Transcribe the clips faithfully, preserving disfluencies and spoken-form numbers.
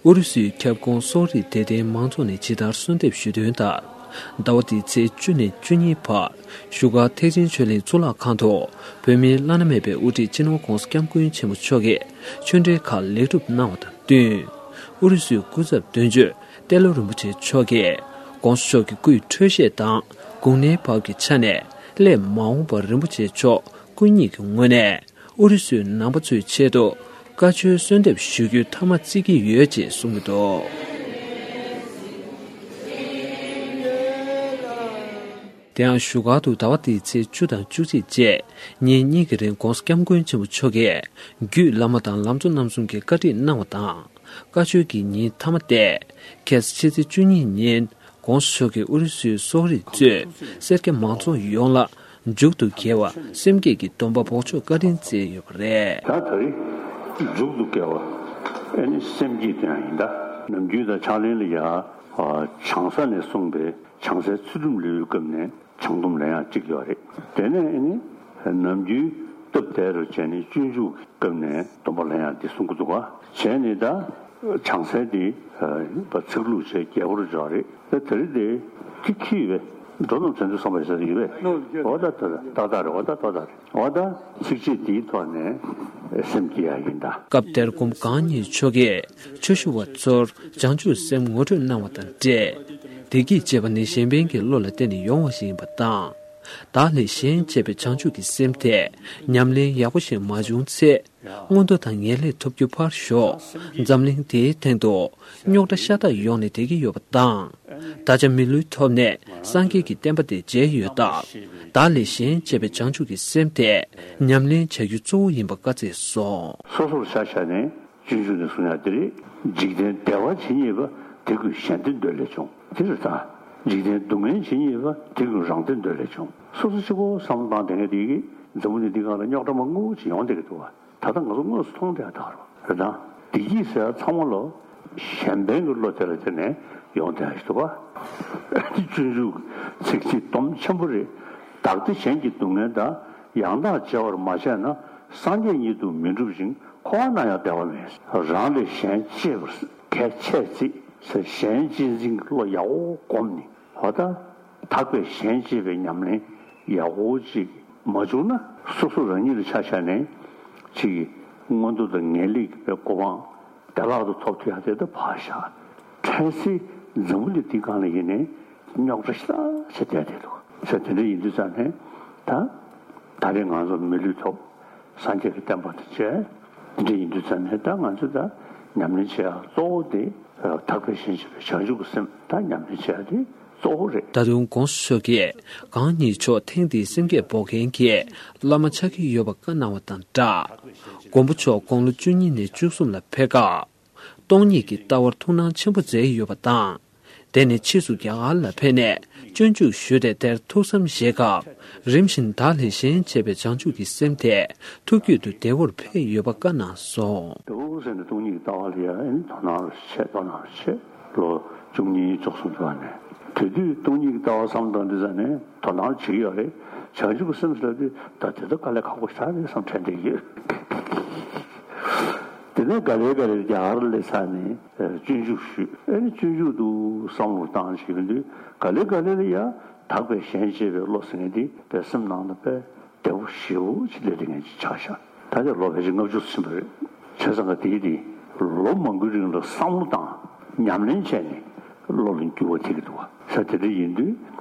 ཨུ་རུ་སུའི་ཁྱབ་ཁོངས་སོག་རིགས་དད་ལྡན་མང་ཚོགས་ནས་ཇི་ལྟར་གསོལ་འདེབས་ཞུས་དོན་ལྟར། ཟླ་བ་འདིའི་ཚེས་བཅུ་ནས་བཅུ་གཉིས་བར་བཞུགས་སྒར་ཐེག་ཆེན་ཆོས་གླིང་གཙུག་ལག་ཁང་དུ་བོད་མིའི་བླ་ན་མེད་པའི་དབུ་ཁྲིད་སྤྱི་ནོར་༧གོང་ས་༧སྐྱབས་མགོན་ཆེན་པོ་མཆོག་གིས་ཆོས་འབྲེལ་ཁག་ལེགས་གྲུབ་གནང་བ་དང་བསྟུན། ཨུ་རུ་སུའི་སྐུ་ཚབ་དོན་གཅོད་ཏེ་ལོ་རིན་པོ་ཆེ་མཆོག་གིས་༧གོང་ས་མཆོག་གི་སྐུའི་འཕྲོད་བཞེས་དང་དགུང་ལོའི་བབ་ཀྱི་ཆ་ནས་སླེབས་མ་འོངས་པར་རིན་པོ་ཆེ་མཆོག་སྐུ་ཉིད་ཀྱི་ངོས་ནས། ཨུ་རུ་སུའི་ནང་པ་ཚོའི་ཆེད་དུ་བཀའ་ཆོས་གསོལ་འདེབས་ཞུ་རྒྱུའི་ཐ་མ་བརྩི་གི་ཡོད་ཅེས་གསུངས་ཀྱི་འདུག་དེ་ཡང་བཞུགས་སྒར་དུ་ཟླ་བ་འདིའི་ཚེས་བཅུ་དང་བཅུ་གཅིག་བཅས་ཉིན་གཉིས་ཀྱི་རིང་༧གོང་ས་༧སྐྱབས་མགོན་ཆེན་པོ་མཆོག་གིས་རྒྱུད་བླ་མ་དང་ལམ་གཙོ་རྣམ་གསུམ་གྱིས་བཀའ་ཁྲིད་གནང་བ་དང་། བཀའ་ཆོས་ཀྱི་ཉིན་མཐའ་མ་སྟེ། ཁ་སང་ཕྱི་ཚེས་བཅུ་གཉིས་ཉིན་༧གོང་ས་མཆོག་གིས་ཨུ་རུ་སུའི་སོག་རིགས་གཙོས་སེར་སྐྱ་མང་ཚོགས་ཡོངས་ལ་མཇུག་ཏུ་དགེ་བ་སེམས་བསྐྱེད་ཀྱི་སྡོམ་པ་འབོགས་ཆོག་བཀའ་དྲིན་སྩལ་ཡོད་པ་རེད། ད་ད་རེས་མཇུག་ཏུ་དགེ་བ་ཨེ་ནི་སེམས་བསྐྱེད་དེ་ཡང་ཡིན། ད་ནམ་རྒྱུན་ད་ཕྱག་ལེན་ལ་ཡ་བྱང་ས་ནས་གསུངས་པའི་བྱང་སའི་ཚུལ་ཁྲིམས་ལེའུའི་སྐབས་ནས་བྱང་སྡོམ་ལེན་ཡག་གཅིག་ཡོད་རེད། དེ་ནས་ཨེ་ནི་ནམ་རྒྱུན་སྟབས་བདེ་རུ་བྱས་ནས་སྤྱོད་འཇུག་གི་སྐབས་ནས་སྡོམ་པ་ལེན་ཡག་འདི་གསུང་གི་འདུག་ག་བྱས་ནས་ད་བྱང་སའི་དེ་ཚིག་ལྷུག་བྱས་རྒྱས་པོ་རུ་འཇོག་རེད། ད་དེ་རིང་དེ་ཁྱི་ཁྱི་བས་འགྲོ་རྣམས་བྱང་ཆུབ་བསམ་པ་ཞེས་ཡོད་པས། འོ་ད་ད་ད་ད་ད་རེད། འོ་ད་ད་ད་རེད། འོ་ད་ཚིགས་བཅད་འདིའི་ཐོག་ནས་སེམས་བསྐྱེད་ཡག་ཡིན་ད། སྐབས་དེར་སྐུ་ངོ་གང་ཉིད་མཆོག་གིས་ཆོས་ཞུ་བ་ཚོར་བྱང་ཆུབ་སེམས་ངོ་སྤྲོད་གནང་བ་དང་འབྲེལ། བདེ་སྐྱིད་ཅེས་པ་ནི་གཞན་ཕན་གྱི་བློ་ལ་བརྟེན་ནས་ཡོང་བ་ཞིག་ཡིན་པ་དང་། བདག་ལས་གཞན་གཅེས་པའི་བྱང་ཆུབ་ཀྱི་སེམས་དེ་ཉམས་ལེན་ཡག་པོ་ཞིག་མ་བྱུང་ཚེ། མངོན་མཐོ་དང་ངེས་ལེགས་ཐོབ་རྒྱུ་ཕར་ཞོག་འཛམ་གླིང་འདིའི་སྟེང་དུ་རྙོག་དྲ་ཤ་སྟག་ཡོང་ནས་བསྡད་ཀྱི་ཡོད་པ་དང་། ད་ཆ་མི་ལུས་ཐོབ་ནས་སངས་རྒྱས་ཀྱི་བསྟན་པ་དེ་མཇལ་ཡོད་སྟབས། བདག་ལས་གཞན་གཅེས་པའི་བྱང་ཆུབ་ཀྱི་སེམས་དེ་ཉམས་ལེན་བྱ་རྒྱུ་གཙོ་བོ་ཡིན་པ་བཀའ་སྩལ་སོང་། སོ་སོར་ཆ་བཞག་ནས་སྤྱོད་འཇུག་ནས་གསུང་ཡག་འདི་རེད། འཇིག་རྟེན་བདེ་བ་ཇི་སྙེད་པ། དེ་ཀུན་གཞན་དོན་འདོད་ལས་བྱུང་། དེ་རེད་ད། འཇིག་རྟེན་སྡུག་བསྔལ་ཇི་སྙེད་པ། དེ་ཀུན་རང་དོན་འདོད་ལས་བྱུང་། སོ་སོ་གཅིག་པོ་བསམ་བློ་བཏང་བསྡད་མཁན་དེ་གིས་འཛམ་བུ་གླིང་འདི་སྒང་ལ་རྙོག་དྲ་མང་པོ་ཅིག་ཡོང་བསྡད་ཀྱི་འདུག་བ། ད་ལྟ་ང་ཚོ་དངོས་སུ་མཐོང་བསྡད་ཡག་ད་རུང་རེད་ད། བདེ་སྐྱིད་ཟེར་ཡག་ཚང་མ་ལོ་གཞན་ཕན་གྱི་བློ་དེ་ལ་བརྟེན་ནས་ཡོང་བསྡད་ཡག་ཞིག་འདུག་བ། སྤྱོད་འཇུག་ཚིག་འདི་སྡོམ་ཆེན་པོ་རེད། བདག་བདེ་གཞན་གྱི་སྡུག་བསྔལ་དང་། ཡང་དག་བརྗེ་བར་མ་བྱས་ན། སངས་རྒྱས་ཉིད་དུ་མི་འགྲུབ་ཅིང་། འཁོར་བ་ན་ཡང་བདེ་བ་མེད། རང་ལས་གཞན་གཅེས་པར་གལ་ཆེར་བརྩི་ཟེར། གཞན་གཅེས་འཛིན་གྱི་བློ་ཡག་པོ་བསྒོམས་ནས། འོ་ད་དག་པའི་གཞན་གཅེས་པའི་ཉམས་ལེན་ཡག་པོ་ཅིག་མ་བྱུང་ན། སོ་སོ་རང་ཉིད་ལ་ཆ་བཞག་ནས་ཅིག་མངོན་མཐོ་དང་ངེས་ལེགས་ཀྱི་གོ་འཕང་བདེ་བླག་ཏུ་ཐོབ་ཐུབ་ཡག་དེ་ད་ཕར་བཞག་འཕྲལ་སེལ་འཛམ་བུ་གླིང་འདི་སྒང་ལ་ཡིན་ནའི་རྙོག་དྲ་ཞེ་དྲག་ཆེ་བསྡད་བསྡད་འདུག་ཟེར། དེ་འདྲ་ཡིན་དུས་ཙང་ནས་ད་ད་རེས་ང་ཚོ་མི་ལུས་ཐོབ། སངས་རྒྱས་ཀྱི་བསྟན་པ་དང་བཅས། འདི་འདྲ་ཡིན་དུས་ཙང་ནས་ད་ང་ཚོས་ད་ཉམས་ལེན་བྱེད་ཡག་གཙོ་བོ་དེ་དག་པའི་གཞན་གཅེས་པའི་བྱང་ཆུབ་ཀྱི་སེམས་ད་ཉམས་ལེན་བྱེད་ཡག་དེ་གཙོ་བོ་རེད། ད་དུང་༧གོང་ས་མཆོག་གིས་གང་ཉིད་མཆོག་ཐེངས་འདིའི་སེམས་བསྐྱེད་འབོགས་མཁན་གྱི་བླ་མ་ཆགས་ཀྱི་ཡོད་པ་བཀའ་གནང་བ་དང་སྦྲགས། མགོན་པོ་མཆོག་དགུང་ལོ་བཅུ་གཉིས་ནས་བཅུ་གསུམ་ལ་ཕེབས་སྐབས། སྟོང་ཉིད་ཀྱི་ལྟ་བར་ཐུགས་སྣང་ཆེན་པོ་མཛད་ཡོད་པ་དང་། དེ་ནས་ཕྱིས་སུ་རྒྱ་གར་ལ་ཕེབས་ནས་སྤྱོད་འཇུག་ཞུས་ཏེ་དེར་ཐུགས་བསམ་བཞེས་སྐབས། རིམ་བཞིན་བདག་ལས་གཞན་གཅེས་པའི་བྱང་ཆུབ་ཀྱི་སེམས་དེ་ཐུགས་རྒྱུད་དུ་བདེ་བོར་འཕེལ་ཡོད་པ་བཀའ་གནང་སོང་། དེ་འོ་ཟེར་ནས་སྟོང་ཉིད་ཀྱི་ལྟ་བ་ལ་ཡང་དོ་སྣང་རུ་བྱེད། དོ་སྣང་རུ་བྱེད། ལོ་བཅུ་གཉིས་བཅུ་གསུམ་དུ་བ་ནས་དེ་དུས་སྟོང་ཉིད་ཀྱི་ལྟ་བ་བསམ་བཏང་དུས་ཙ་ནས་དོ་སྣང་བྱེད་ཀྱི་ཡོད་རེད། བྱང་ཆུབ་ཀྱི་སེམས་ཟེར་དུས་ད་དེ་ཚོ་དཀའ་ལས་ཁག་པོ་ཞེ་དྲག་རེད་བསམ་དྲན་བསྡད་ཀྱི་ཡོད། དེ་ནས་ག་ལེ་ག་ལེ་རྒྱ་གར་སླེབས་ཚར་ནས་སྤྱོད་འཇུག་ཞུས། ཨེ་ནི་སྤྱོད་འཇུག་ཏུ་བསམ་བློ་བཏང་བྱས་པ་དུས་ག་ལེ་ག་ལེ་ལ་ཡང་དག་པའི་གཞན་གཅེས་པའི་བློ་ཟེར་མཁན་དེ་དཔེ་སེམས་ནང་ལ་དཔེ་བདེ་པོ་ཞེ་པོ་ཅིག་སླེབས་བསྡད་མཁན་ཅིག་ཆགས་ཤག་ད་ཆ་ལོ་ཕལ་ཆེར་ལྔ་བཅུ་ཙམ་ཕྱིན་པ་རེད། བྱས་ཙང་ག་དེའི་དེ་ལོ་མང་པོའི་རིང་ལ་བསམ་བློ་བཏང་ཉམས་ལེན་བྱས་ནས་བློ་ལ་འགྱུར་བ་ཐེབས་ཀྱི་འདུག་བ། ས་དེ་འདྲ་ཡིན་དུས་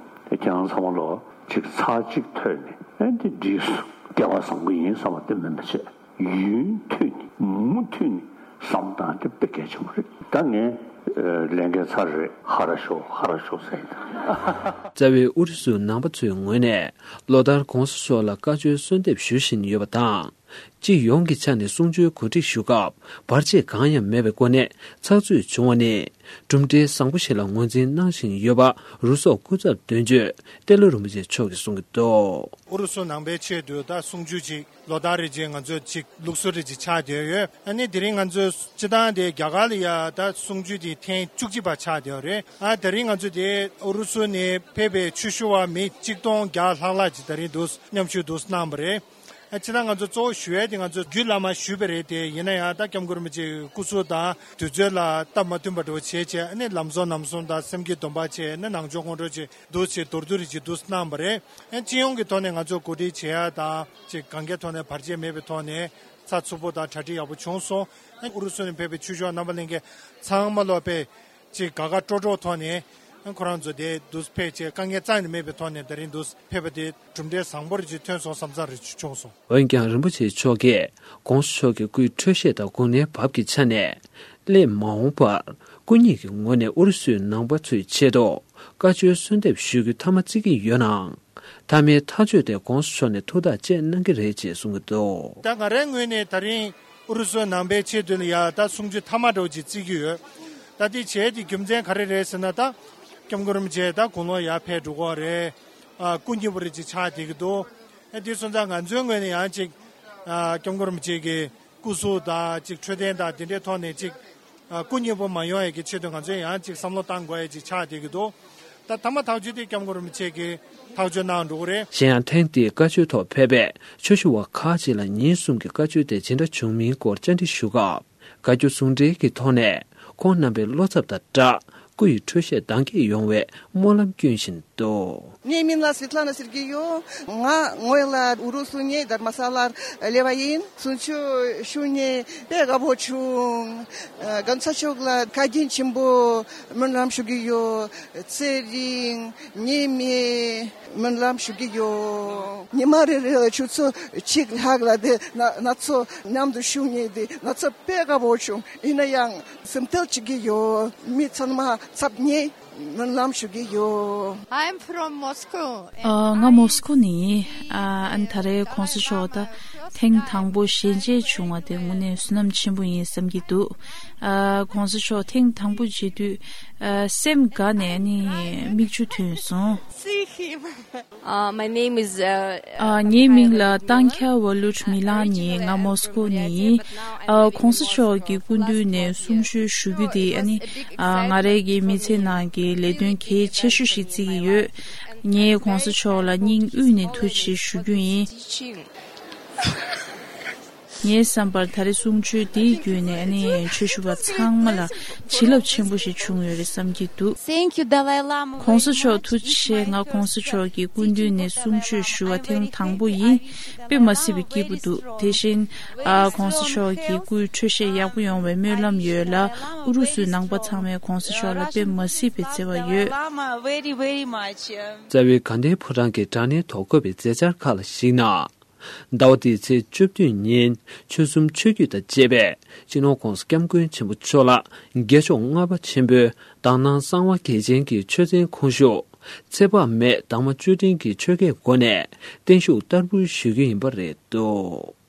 ཁྱེད་རང་ཚང་མ་ལོ་ཅིག་ཚར་གཅིག་ཐོས་ནས་ཨེ་འདི་འགྲིགས་སོང་། སྐལ་བ་བཟང་པོ་ཡིན་བསམ་པ་དེ་མིན་པ་བྱས། ཡུན་ཐུང་ནས་མུ་མཐུད་ནས་བསམ་སྟངས་དེ་དཔེ་གལ་ཆེན་པོ་རེད། ད་ངས་ལས་འགན་ཚར་རེད། ཧ་ར་ཤོ་ཧ་ར་ཤོ་ཟེར་ཡིན། རྩ་བའི་ཨུ་རུ་སུ་ནང་པ་ཚོའི་ངོས་ནས་ལོ་ལྟར་གོང་ས་མཆོག་ལ་བཀའ་ཆོས་གསོལ་འདེབས་ཞུ་བཞིན་ཡོད་པ་དང་། སྤྱི་ཡོངས་ཀྱི་ཆ་ནས་གསུང་ཆོས་གོ་སྒྲིག་ཞུ་སྐབས་བར་ཆད་གང་ཡང་མེད་པའི་སྒོ་ནས་ཚགས་ཚུད་བྱུང་བ་ནི་གྲུབ་འབྲས་བཟང་པོ་ཞིག་ལ་ངོས་འཛིན་གནང་བཞིན་ཡོད་པ་རུ་སོག་སྐུ་ཚབ་དོན་གཅོད་ཏེ་ལོ་རིན་པོ་ཆེ་མཆོག་གིས་གསུངས་ཀྱི་འདུག་ཨུ་རུ་སུ་ནང་པའི་ཆེད་དུ་ད་གསུང་ཆོས་ཅིག་ལོ་ལྟར་རེ་བཞིན་ང་ཚོ་ཅིག་ལུགས་སྲོལ་རེ་ཅིག་ཆགས་བསྡད་ཡོད། ཨ་ནི་དེ་རིང་ང་ཚོ་སྤྱི་བཏང་དེ་རྒྱ་གར་ལ་ཡ་ད་གསུང་ཆོས་དེ་ཐེངས་བཅུ་གཅིག་པ་ཆགས་བསྡད་ཡོད་རེད། ཨ་དེ་རིང་ང་ཚོ་དེ་ཨུ་རུ་སུ་ནས་ཕེབས་པའི་ཆོས་ཞུ་བ་མི་གཅིག་སྟོང་བརྒྱ་ལྷག་ལྷག་ཅིག་དེ་རིང་འདུག་མཉམ་ཞུགས་འདུག་གནང་བ་རེད། ཨ་ཕྱི་ནང་ང་ཚོ་གཙོ་བོ་ཞུ་ཡས་དེ་ང་ཚོ་རྒྱུད་བླ་མ་ཞུས་པ་རེད་དེ། ཡིན་ན་ཡང་ད་སྐྱབས་མགོན་རིན་པོ་ཆེའི་སྐུ་གཟུགས་དང་དུས་ཚོད་ལ་སྟབས་མ་མཐུན་པ་འདྲ་བོ་བྱས་བྱས། ཨ་ནི་ལམ་བཟང་ལམ་གསུམ་དང་སེམས་བསྐྱེད་སྡོམ་པ་བྱས། ཨ་ནི་ནང་ཆོས་ཁོང་ཁྲོ་ཅིག་འདུག་ཅིག་མདོར་བསྡུས་རེ་ཅིག་འདུག་གནང་བ་རེད། ཨ་སྤྱི་ཡོངས་ཀྱི་ཐོག་ནས་ང་ཚོ་གོ་སྒྲིག་བྱེད་ཡ་དང་ཅིག་གང་གའི་ཐོག་ནས་བར་ཆད་མེད་པའི་ཐོག་ནས་ཚགས་ཚུད་པོ་དང་གྲ་སྒྲིག་ཡག་པོ་བྱུང་སོང་། ཨ་ཨུ་རུ་སུ་ནས་ཕེབས་པའི་ཆོས་ཕྱོགས་རྣམ་པ་ལྷན་རྒྱས་ཚང་མ་ལོ་པས་ཅིག་དགའ་དགའ་སྤྲོ་སྤྲོ་ཐོག་ནས་ཁོ་རང་ཚོ་དེ་འདུག་ཕེབས་བྱས། དཀའ་ངལ་རྩ་ནས་མེད་པའི་ཐོག་ནས་ད་རིང་འདུག་ཕེབས་པ་དེ་གྲུབ་འབྲས་བཟང་པོ་རེ་ཅིག་ཐོན་སོང་བསམ་ཚར་རེ་ཅིག་བྱུང་སོང་། འོན་ཀྱང་རིན་པོ་ཆེ་མཆོག་གིས་༸གོང་ས་མཆོག་གི་སྐུའི་འཕྲོད་བཞེས་དང་དགུང་ལོའི་བབ་ཀྱི་ཆ་ནས་སླེབས་མ་འོངས་པར་སྐུ་ཉིད་ཀྱི་ངོས་ནས་ཨུ་རུ་སུའི་ནང་པ་ཚོའི་ཆེད་དུ་བཀའ་ཆོས་གསོལ་འདེབས་ཞུ་རྒྱུ་མཐའ་མ་བརྩི་གི་ཡོད་ནའང་། མཐའ་མའི་ཐག་གཅོད་དེ་༸གོང་ས་མཆོག་ནས་ཐུགས་ཐག་བཅད་གནང་གི་རེད་ཅེས་གསུང་གི་འདུག། ད་ང་རའི་ངོས་ནས་ད་རིང་ཨུ་རུ་སུ་ནང་པའི་ཆེད་དུ་ལ་ཡ་ད་གསུང་ཆོས་མཐའ་མ་འདྲ་བོ་ཅིག་བརྩི་གི་ཡོད། ད་དེ་བྱས་དེ་རྒྱུ་མཚན་ག་རེ་རེད་ཟེར་ན། ད་སྐྱབས་མགོན་རིན་པོ་ཆེ་ད་དགུང་ལོ་ཡར་ཕེབས་འགྲོ་གི་རེད། ཨ་སྐུ་མཉེལ་པོ་རེ་ཅིག་ཆགས་བསྡད་ཀྱི་འདུག། ཨ་དེ་སོང་ཙང་ང་ཚོའི་ངོས་ནས་ཡང་ཅིག་ཨ་སྐྱབས་མགོན་རིན་པོ་ཆེ་གི་སྐུ་གཟུགས་དང་ཅིག་འཕྲོད་བསྟེན་དང་དེ་འདྲའི་ཐོག་ནས་ཅིག་ཨ་སྐུ་མཉེལ་པོ་མ་ཡོང་ཡས་ཀྱི་ཆེད་དུ་ང་ཚོས་ཡང་ཅིག་བསམ་བློ་བཏང་དགོས་ཡས་ཅིག་ཆགས་བསྡད་ཀྱི་འདུག། ད་མཐའ་མ་ཐག་གཅོད་དེ་སྐྱབས་མགོན་རིན་པོ་ཆེ་གིས་ཐག་གཅོད་གནང་འགྲོ་གི་རེད། གཞན་ཡང་ཐེངས་འདིའི་བཀའ་ཆོས་ཐོག་ཕེབས་པའི་ཆོས་ཞུ་བ་ཁག་ཅིག་ལ་ཉིན་གསུམ་གྱི་བཀའ་ཆོས་དེ་ཇི་འདྲ་བྱུང་མིན་སྐོར་བཅར་འདྲི་ཞུ་སྐབས། བཀའ་བཀྱོན་ཟུང་འབྲེལ་གྱི་ཐོག་ནས་ཁོང་རྣམ་པའི་བློ་འཚབ་དང་སྦྲགས་སྐུ་ཡི་འཕྲོད་བཞེས་དྭངས་སྐྱེད་ཡོང་བའི་སྨོན་ལམ་སྐྱོན་བཞིན་འདུག། ངའི་མིང་ལ་སི་ཏླ་ན་སེར་གྱི་ཡོད། ང་ངོས་ལ་ཨུ་རུ་སུ་ནས་དྷརྨ་ས་ལར་སླེབས་པ་ཡིན། གསུང་ཆོས་ཞུ་ནས་དཔེ་དགའ་པོ་བྱུང་། ཨ་༸གོང་ས་མཆོག་ལ་བཀའ་དྲིན་ཆེན་པོ་སྨོན་ལམ་ཞུ་གི་ཡོད། ཚེ་རིང་ཉེས་མེད་སྨོན་ལམ་ཞུ་གི་ཡོད། ཉི་མ་རེ་རེ་ལ་ཆུ་ཚོད་གཅིག་ལྷག་ལ་དེ་ན་ན་ཚོ་མཉམ་དུ་བཞུགས་ནས་དེ་ན་ཚོ་དཔེ་དགའ་པོ་བྱུང་། ཡིན་ན་ཡང་སེམས་ཁྲལ་བྱེད་ཀྱི་ཡོད། མི་ཚང་མ་ཚབ་ནས་སྨོན་ལམ་ཞུ་གི་ཡོད། I'm from Moscow. ཨ་ང་མོ་སི་ཁོ་ནས་ཡིན། ཨ་ཨ་ནི་ད་རེས་༸གོང་ས་མཆོག་ད་ཐེངས་དང་པོ་ཞལ་མཇལ་བྱུང་བ་དེ་དངོས་གནས་བསོད་ནམས་ཆེན་པོ་ཡིན་བསམ་གྱི་འདུག། ཨ་༸གོང་ས་མཆོག་ཐེངས་དང་པོ་མཇལ་དུས་ཨ་སེམས་དགའ་ནས་ཨ་ནི་མིག་ཆུ་ཐོན་སོང་། See him. Uh, my name is, uh, ཨ་ངའི་མིང་ལ་ཏང་ཁྱ་ཝ་ལུད་མི་ལ་ནི། ང་མོ་སི་ཁོ་ནས་ཡིན། ཨ་༸གོང་ས་མཆོག་གི་སྐུ་མདུན་ནས་གསུང་ཆོས་ཞུ་རྒྱུ་དེ་ཨ་ནི་ཨ་ང་རའི་གི་མི་ཚེ་ནང་གི་ལས་དོན་གལ་ཆེ་ཤོས་ཤིག་བརྩི་གི་ཡོད། ངས་༸གོང་ས་མཆོག་ལ་སྙིང་དབུས་ནས་ཐུགས་རྗེ་ཆེ་ཞུ་རྒྱུ་ཡིན། ངའི་བསམ་པར་ད་རེས་གསུང་ཆོས་འདིའི་བརྒྱུད་ནས་ཨ་ནི་ཆོས་ཞུ་བ་ཚང་མ་ལ་བྱིན་རླབས་ཆེན་པོ་ཞིག་བྱུང་ཡོད་རེད་བསམ་གྱི་འདུག། Thank you, Dalai Lama. ༸གོང་ས་མཆོག་ཐུགས་རྗེ་ཆེ། ང་༸གོང་ས་མཆོག་གི་སྐུ་མདུན་ནས་གསུང་ཆོས་ཞུ་བ་ཐེངས་དང་པོ་ཡིན། དཔེ་མ་སྲིད་པའི་སྐྱིད་པོ་འདུག། དེ་བཞིན་ཨ་༸གོང་ས་མཆོག་གི་སྐུའི་འཕྲོད་བཞེས་ཡག་པོ་ཡོང་བའི་སྨོན་ལམ་ཡོད་ལ། ཨུ་རུ་སུའི་ནང་པ་ཚང་མས་༸གོང་ས་མཆོག་ལ་དཔེ་མ་སྲིད་པའི་བརྩེ་བ་ཡོད། Lama very, very much. རྩ་བའི་དགའ་ལྡན་ཕོ་བྲང་གི་དྲ་བརྙན་ཐོག་བཀོད་པའི་མཛད་འཆར་ཁག་ལ་གཞིགས་ན། ཟླ་བ་འདིའི་ཚེས་བཅུ་བདུན་ཉིན་ཆོལ་གསུམ་ཆོས་བརྒྱུད་དང་བཅས་པས་སྤྱི་ནོར་༸གོང་ས་༸སྐྱབས་མགོན་ཆེན་པོ་མཆོག་ལ་རྒྱལ་མཆོག་ལྔ་པ་ཆེན་པོའི་དག་སྣང་གསང་བ་རྒྱལ་ཆེན་གྱི་ཆོས་ཚན་ཁོངས་ཞུགས་ཚེ་དཔག་མེད་དྭངས་མ་བཅུད་ལྡན་གྱི་ཆོས་སྐད་སྒོ་ནས་བརྟན་བཞུགས་བསྟར་འབུལ་ཞུ་རྒྱུ་ཡིན་པ་རེད་འདུག།